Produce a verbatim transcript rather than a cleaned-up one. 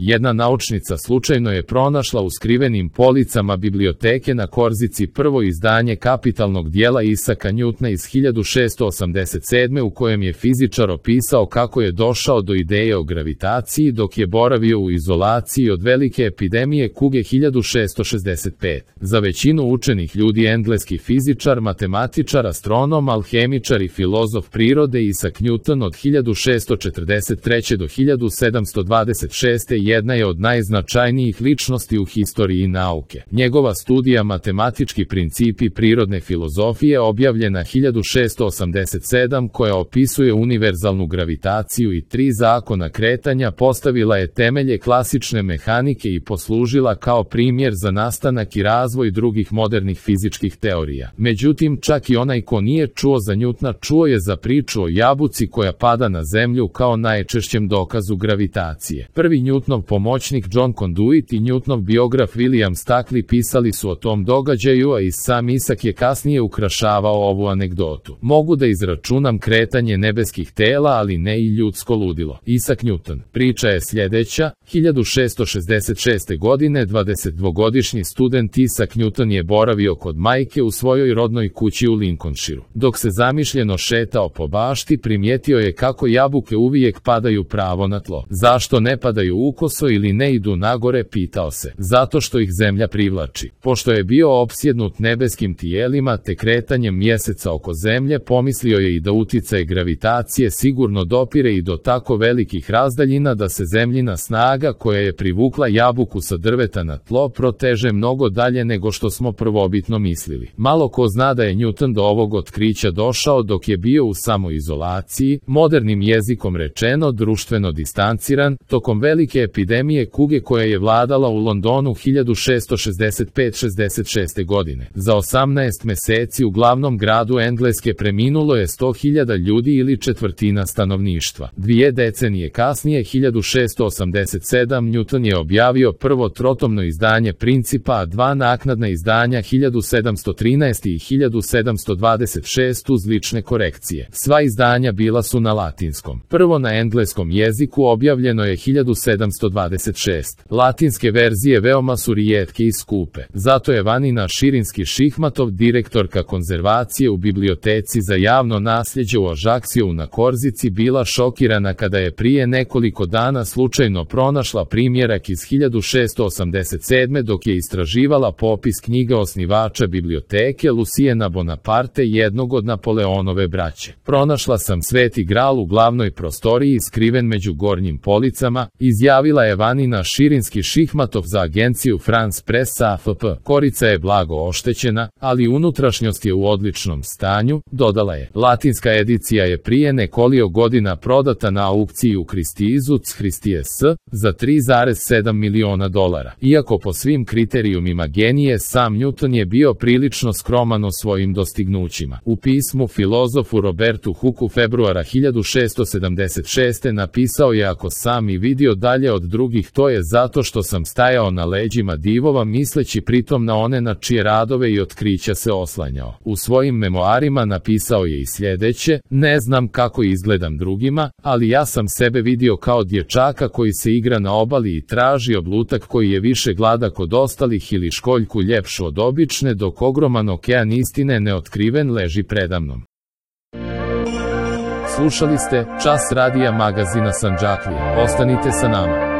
Jedna naučnica slučajno je pronašla u skrivenim policama biblioteke na Korzici prvo izdanje kapitalnog dijela Isaka Njutna iz hiljadu šessto osamdeset sedme. u kojem je fizičar opisao kako je došao do ideje o gravitaciji dok je boravio u izolaciji od velike epidemije kuge hiljadu šessto šezdeset pete. Za većinu učenih ljudi engleski fizičar, matematičar, astronom, alhemičar i filozof prirode Isaac Newton od hiljadu šessto četrdeset treće. do hiljadu sedamsto dvadeset šeste. jedna je od najznačajnijih ličnosti u historiji nauke. Njegova studija Matematički principi prirodne filozofije objavljena hiljadu šessto osamdeset sedme. koja opisuje univerzalnu gravitaciju i tri zakona kretanja postavila je temelje klasične mehanike i poslužila kao primjer za nastanak i razvoj drugih modernih fizičkih teorija. Međutim, čak i onaj ko nije čuo za Newtona čuo je za priču o jabuci koja pada na zemlju kao najčešćem dokazu gravitacije. Prvi Newtonov pomoćnik John Conduit i Newtonov biograf William Stackley pisali su o tom događaju, a i sam Isaac je kasnije ukrašavao ovu anegdotu. Mogu da izračunam kretanje nebeskih tela, ali ne i ljudsko ludilo. Isaac Newton. Priča je sljedeća. hiljadu šessto šezdeset šeste. godine dvadesetdvogodišnji student Isaac Newton je boravio kod majke u svojoj rodnoj kući u Lincolnshireu. Dok se zamišljeno šetao po bašti, primijetio je kako jabuke uvijek padaju pravo na tlo. Zašto ne padaju ukoso ili ne idu nagore, pitao se. Zato što ih zemlja privlači. Pošto je bio opsjednut nebeskim tijelima te kretanjem mjeseca oko zemlje, pomislio je i da uticaj gravitacije sigurno dopire i do tako velikih razdaljina da se zemljina snaga koja je privukla jabuku sa drveta na tlo proteže mnogo dalje nego što smo prvobitno mislili. Malo ko zna da je Newton do ovog otkrića došao dok je bio u samoizolaciji, modernim jezikom rečeno društveno distanciran, tokom velike epidemije kuge koja je vladala u Londonu hiljadu šessto šezdeset pete šezdeset šeste. godine. Za osamnaest meseci u glavnom gradu Engleske preminulo je sto hiljada ljudi ili četvrtina stanovništva. Dvije decenije kasnije, hiljadu šessto osamdeset sedme. Newton je objavio prvo trotomno izdanje Principa, a dva naknadna izdanja hiljadu sedamsto trinaeste. i hiljadu sedamsto dvadeset šeste. uz lične korekcije. Sva izdanja bila su na latinskom. Prvo na engleskom jeziku objavljeno je hiljadu sedamsto dvadeset šeste. Latinske verzije veoma su rijetke i skupe. Zato je Vanina Širinski-Šihmatov, direktorka konzervacije u biblioteci za javno nasljeđe u Ajaxiju na Korzici, bila šokirana kada je prije nekoliko dana slučajno pronašla primjerak iz hiljadu šessto osamdeset sedme. dok je istraživala popis knjiga osnivača biblioteke Lucijena Bonaparte, jednog od Napoleonove braće. Pronašla sam Sveti gral u glavnoj prostoriji skriven među gornjim policama, izjavila je Vanina Širinski-Šihmatov za agenciju France Press A F P. Korica je blago oštećena, ali unutrašnjost je u odličnom stanju, dodala je. Latinska edicija je prije nekoliko godina prodata na aukciji u Christiesu Christie's za tri zarez sedam miliona dolara. Iako po svim kriterijumima genije, sam Newton je bio prilično skroman o svojim dostignućima. U pismu filozofu Robertu Hooku februara hiljadu šessto sedamdeset šeste. napisao je: ako sam i vidio dalje od drugih, to je zato što sam stajao na leđima divova, misleći pritom na one na čije radove i otkrića se oslanjao. U svojim memoarima napisao je i sljedeće: ne znam kako izgledam drugima, ali ja sam sebe vidio kao dječaka koji se igra na obali i traži oblutak koji je više gladak od ostalih ili školjku ljepšu od obične, dok ogroman okean istine neotkriven leži predamnom. Slušali ste Čas radija magazina Sandžaklija. Ostanite sa nama.